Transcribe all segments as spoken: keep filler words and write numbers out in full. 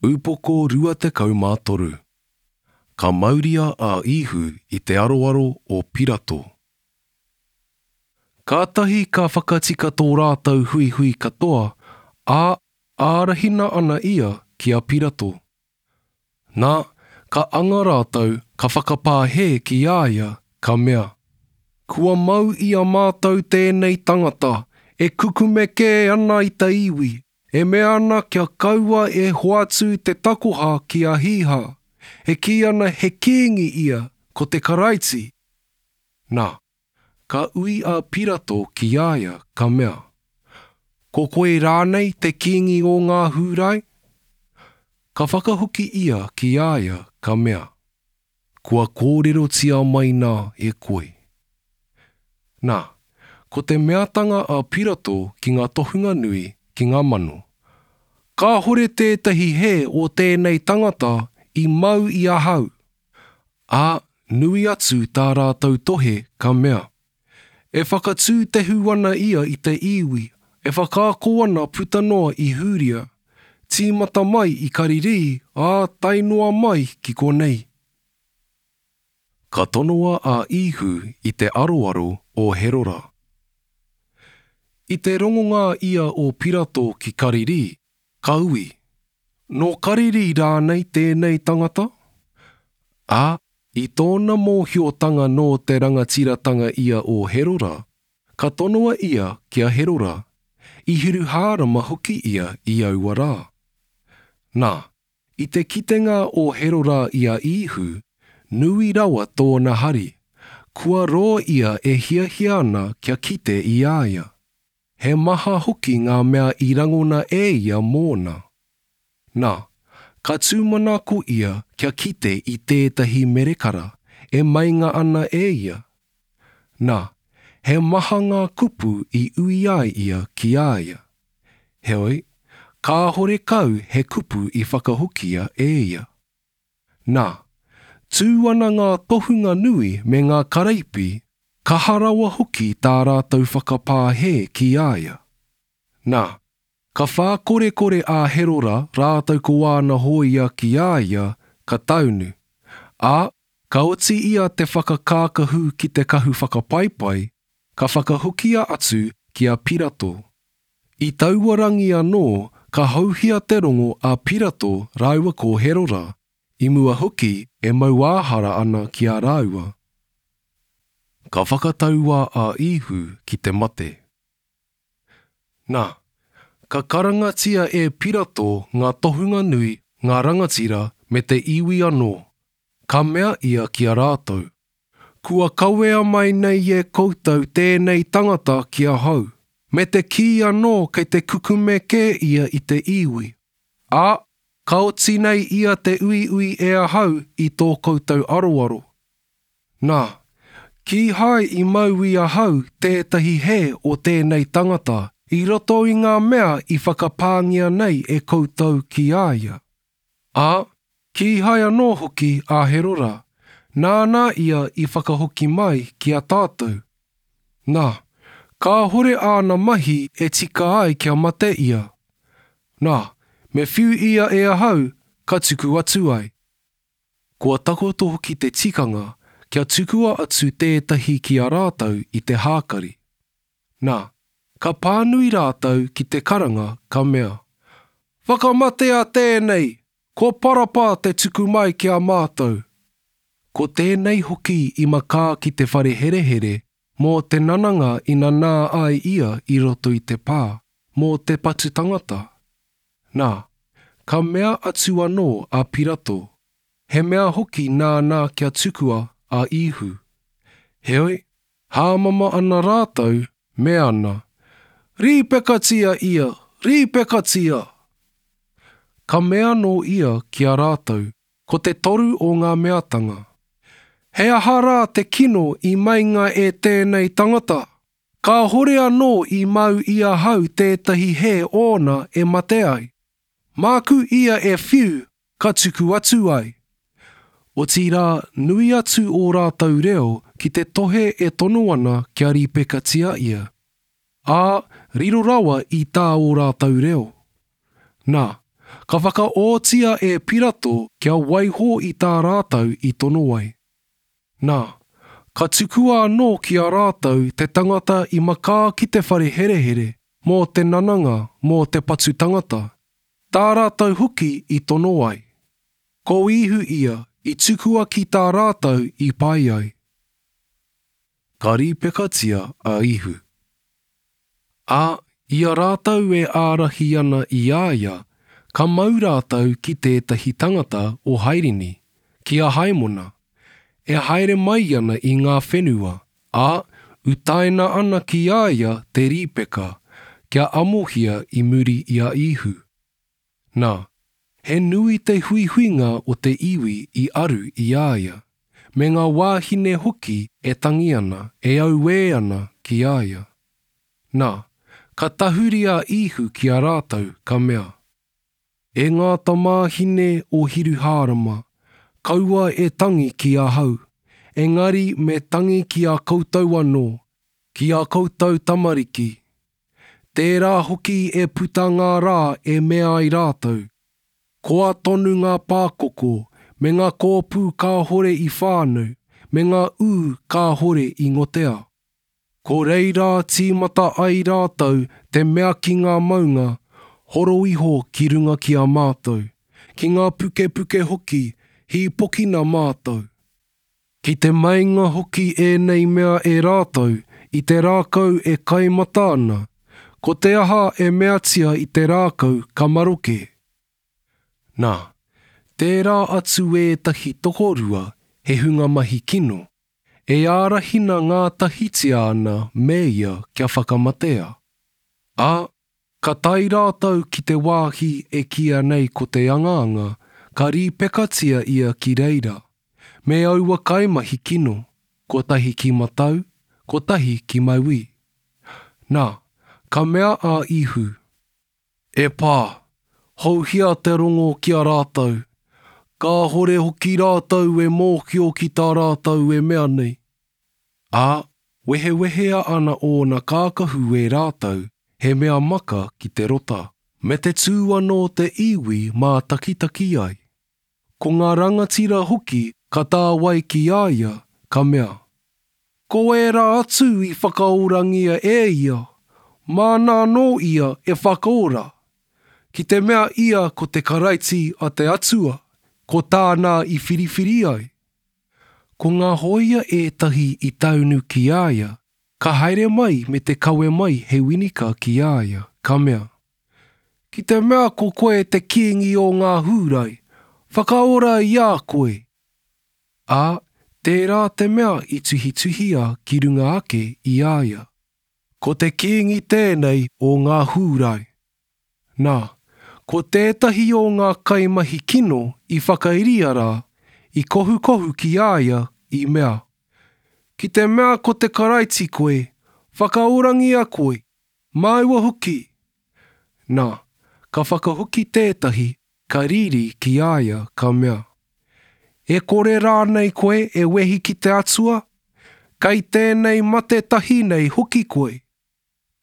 Upoko rua tekau mā toru. Ka mauria a Īhu i te aroaro o Pirato. Kātahi ka whakatika tō rātou huihui katoa, ā, ārahina ana ia ki a Pirato. Nā, ka anga rātou, ka whakapā hē ki a ia, ka mea, Kua mau i a mātou tēnei tangata, e kukume kē ana i te iwi, e mea ana kia kaua e hoatu te takoha ki a Hīhā, e kī ana he kīngi ia, ko te Karaiti. Nā, ka ui a Pirato ki a ia, ka mea, Ko koe rānei te kīngi o ngā Hūrai? Ka whakahoki ia ki a ia, ka mea, Kua kōrerotia mai nā e koe. Nā, ko te meatanga a Pirato ki ngā tohunga nui, ki ngā mano, Kāhore tētahi hē o tēnei tangata i mau i ahau. Ā, nui atu tā rātou tohe, ka mea, E whakatūtehu ana ia i te iwi, e whakaako ana puta noa i Hūria, tīmata mai i Karirī, ā, tae noa mai ki konei. Ka tonoa a Īhu i te aroaro o Herora. I te rongonga ia o Pirato ki Karirī, ka ui, Nō Karirī rānei tēnei tangata? Ā, i tōna mōhiotanga nō te rangatiratanga ia o Herora, ka tonoa ia ki a Herora, i Hiruhārama hoki ia i aua rā. Nā, i te kitenga o Herora i a Īhu, nui rawa tōna hari, kua roa ia e hiahia ana kia kite i a ia. He maha hoki ngā mea i rangona e ia mōna. Nā, ka tūmanako ia kia kite i tētahi merekara e meinga ana e ia. Nā, he maha ngā kupu i ui ai ia ki a ia. Heoi, kāhore kau he kupu i whakahokia e ia. Nā, tū ana ngā tohunga nui me ngā karaipi, kaha rawa hoki tā rātou whakapā hē ki a ia. Nā, ka whākorekore a Herora rātou ko āna hōia ki a ia, ka taunu. Ā, ka oti ia te whakakākahu ki te kahu whakapaipai, ka whakahokia atu ki a Pirato. I taua rangi anō, ka hauhia te rongo a Pirato rāua ko Herora, i mua hoki e mauāhara ana ki a rāua. Ka whakataua a Īhu ki te mate. Nā, ka karangatia e Pirato ngā tohunga nui, ngā rangatira me te iwi anō. Ka mea ia ki a rātou, Kua kawea mai nei e koutou tēnei tangata ki ahau, me te kī anō kei te kukume kē ia i te iwi. Ā, ka oti nei ia te uiui e ahau i tō koutou aroaro. Nā, kīhai i mau i ahau tētahi hē o tēnei tangata i roto i ngā mea i whakapāngia nei e koutou ki a ia. Ā, kīhai anō hoki a Herora, nāna ia i whakahoki mai ki a tātou. Nā, kāhore āna mahi e tika ai kia mate ia. Nā, me whiu ia e ahau, ka tuku atu ai. Kua takoto hoki te tikanga kia tukua atu tētahi ki a rātou i te hākari. Nā, ka pānui rātou ki te karanga, ka mea, Whakamatea tēnei, ko Parapa te tuku mai ki a mātou. Ko tēnei hoki i makā ki te whare herehere, mō te nananga i nanā ai ia i roto i te pā, mō te patu tangata. Nā, ka mea atu anō a Pirato, he mea hoki nāna kia tukua a Īhu. Heoi, hāmama ana rātou, mea ana, Rīpekatia ia, rīpekatia! Ka mea anō ia ki a rātou, ko te toru o ngā meatanga. He aha rā te kino i meinga e tēnei tangata? Kāhore anō i mau i ahau tētahi hē ōna e mate ai. Māku ia e whiu, ka tuku atu ai. Otirā, nui atu ō rātou reo ki te tohe e tono ana kia rīpekatia ia. Ā, riro rawa i tā ō rātou reo. Nā, ka whakaotia e Pirato kia waiho i tā rātou i tono ai. Nā, ka tukua anō ki a rātou te tangata i makā ki te whare herehere mō te nananga mō te patu tangata, tā rātou hoki i tono ai. Ko Ihu ia i tukua ki tā rātou i pai ai. Ka rīpekatia a Ihu. Ā, i a rātou e ārahi ana i a ia, ka mau rātou ki tētahi tangata o Hairini, ki a Haimona, e haere mai ana i ngā whenua, ā, utaina ana ki a ia te rīpeka, kia amohia i muri i a Ihu. Nā, he nui te huihuinga o te iwi i aru i a ia, me ngā wāhine hoki e tangi ana, e auē ana ki a ia. Nā, ka tahuri a Ihu ki a rātou, ka mea, E ngā tamāhine o Hiruhārama, kaua e tangi ki ahau, engari me tangi ki a koutou anō, ki a koutou tamariki. Tērā hoki e puta ngā rā e mea ai rātou. Koa tonu ngā pākoko, me ngā kōpū kāhore i whānau, me ngā ū kāhore i ngotea. Ko reira tīmata ai rātou te mea ki ngā maunga, horo iho ki runga ki a mātou, ki ngā pukepuke hoki, hīpokina mātou. Ki te meinga hoki ēnei mea e rātou, i te rākau e kaimata ana, ko te aha e meatia i te rākau ka maroke. Nā, tērā atu ētahi tokorua he hunga mahi kino, e ārahina ngātahitia ana me ia kia whakamatea. Ā, ka tae rātou ki te wāhi e kīia nei ko te angaanga, ka rīpekatia ia ki reira, me aua kaimahi kino, kotahi ki matau, kotahi ki mauī. Nā, ka mea a Ihu, E Pā, houhia te rongo ki a rātou, kāhore hoki rātou e mōhio ki tā rātou e mea nei. Ā, wehewehea ana ōna kākahu e rātou, he mea maka ki te rota, me te tū anō te iwi mātakitaki ai. Ko ngā rangatira hoki ka tāwai ki a ia, ka mea, Ko ērā atu i whakaorangia e ia, māna anō ia e whakaora. Ki te mea ia ko te Karaiti a te Atua, ko tāna i whiriwhiri ai. Ko ngā hōia ētahi i taunu ki a ia, ka haere mai me te kawe mai he winika ki a ia, ka mea, Ki te mea ko koe te kīngi o ngā Hūrai, whakaora i a koe. Ā, tērā te mea i tuhituhia ki runga ake i a ia. Ko te kīngi tēnei o ngā Hūrai. Nā, ko tētahi o ngā kaimahi kino i whakairia rā, i kohukohu ki a ia, i mea, Ki te mea ko te Karaiti koe, whakaorangia koe, māua hoki. Nā, ka whakahoki tētahi, ka riri ki a ia, ka mea, E kore rānei koe e wehi ki te Atua? Kei tēnei mate tahi nei hoki koe.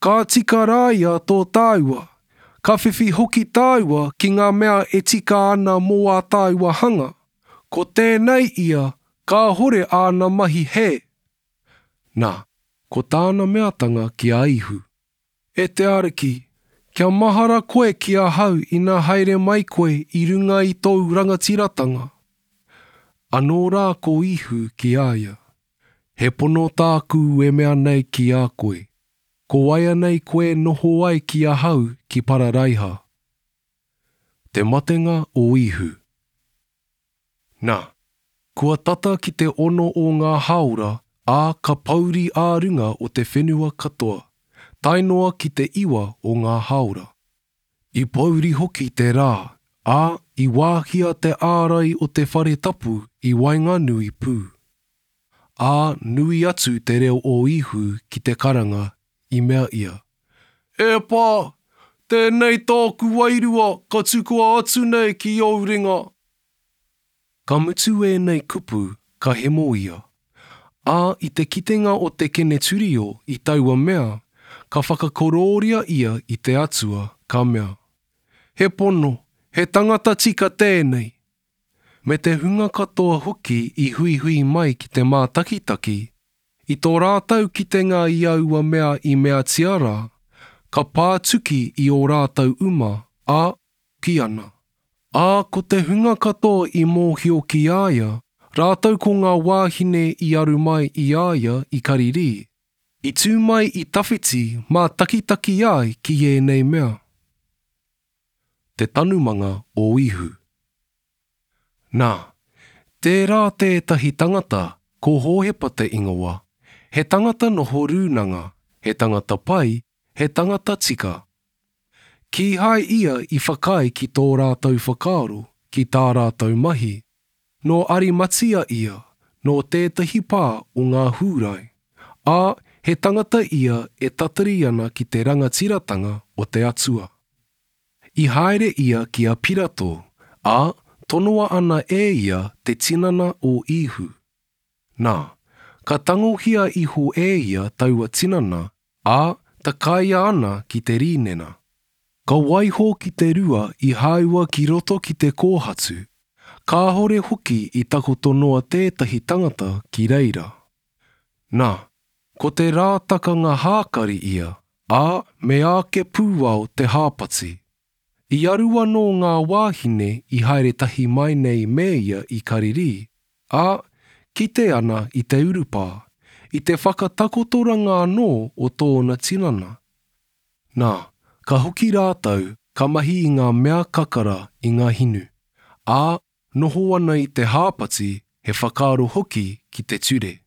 Ka tika rā ia tō tāua, ka whiwhi hoki tāua ki ngā mea e tika ana mō ā tāua hanga. Ko tēnei ia, kāhore āna mahi hē. Nā, ko tāna meatanga ki a Ihu, E te Ariki, kia mahara koe ki ahau ina haere mai koe i runga i tōu rangatiratanga. Anō rā ko Ihu ki a ia, He pono tāku e mea nei ki a koe, ko waianei koe noho ai ki ahau ki Pararaiha. Te matenga o Ihu. Nā, kua tata ki te ono o ngā hāora, ā, ka pouri ā-runga o te whenua katoa, tae noa ki te iwa o ngā hāora. I pouri hoki te rā, ā, i wāhia te ārai o te whare tapu i waenganui pū. Ā, nui atu te reo o Ihu ki te karanga, i mea ia, E Pā, tēnei tōku wairua ka tukua atu nei ki ōu ringa. Ka mutu ēnei kupu, ka hemo ia. Ā, i te kitenga o te Keneturio i taua mea, ka whakakorōria ia i te Atua, ka mea, He pono, He tangata tika tēnei. Me te hunga katoa hoki i huihui mai ki te mātakitaki, i tō rātou kitenga i aua mea i meatia rā, ka pātuki i ō rātou uma, ā, kī ana. Ā, ko te hunga katoa i mōhio ki a ia, rātou ko ngā wāhine i aru mai i a ia i Karirī, i tū mai i tawhiti mātakitaki ai ki ēnei mea. Te tanumanga o Ihu. Nā, tērā tētahi tangata, ko Hōhepa te ingoa, he tangata noho rūnanga, he tangata pai, he tangata tika. Kīhai ia i whakaae ki tō rātou whakaaro, ki tā rātou mahi. Nō Arimatia ia, nō tētahi pā o ngā Hūrai, ā, he tangata ia e tatari ana ki te rangatiratanga o te Atua. I haere ia ki a Pirato, ā, tonoa ana e ia te tinana o Īhu. Nā, ka tangohia iho e ia taua tinana, ā, takaia ana ki te rīnena. Ka waiho ki te rua i hāua ki roto ki te kōhatu, kāhore hoki i takoto noa tētahi tangata ki reira. Nā, ko te rā takanga hākari ia, ā, meāke pūao te hāpati. I aru anō ngā wāhine i haere tahi mai nei me ia i Karirī, ā, kite ana i te urupā, i te whakatakotoranga anō o tōna tinana. Nā, ka hoki rātou, ka mahi i ngā mea kakara i ngā hinu, ā, noho ana i te hāpati, he whakaaro hoki ki te ture.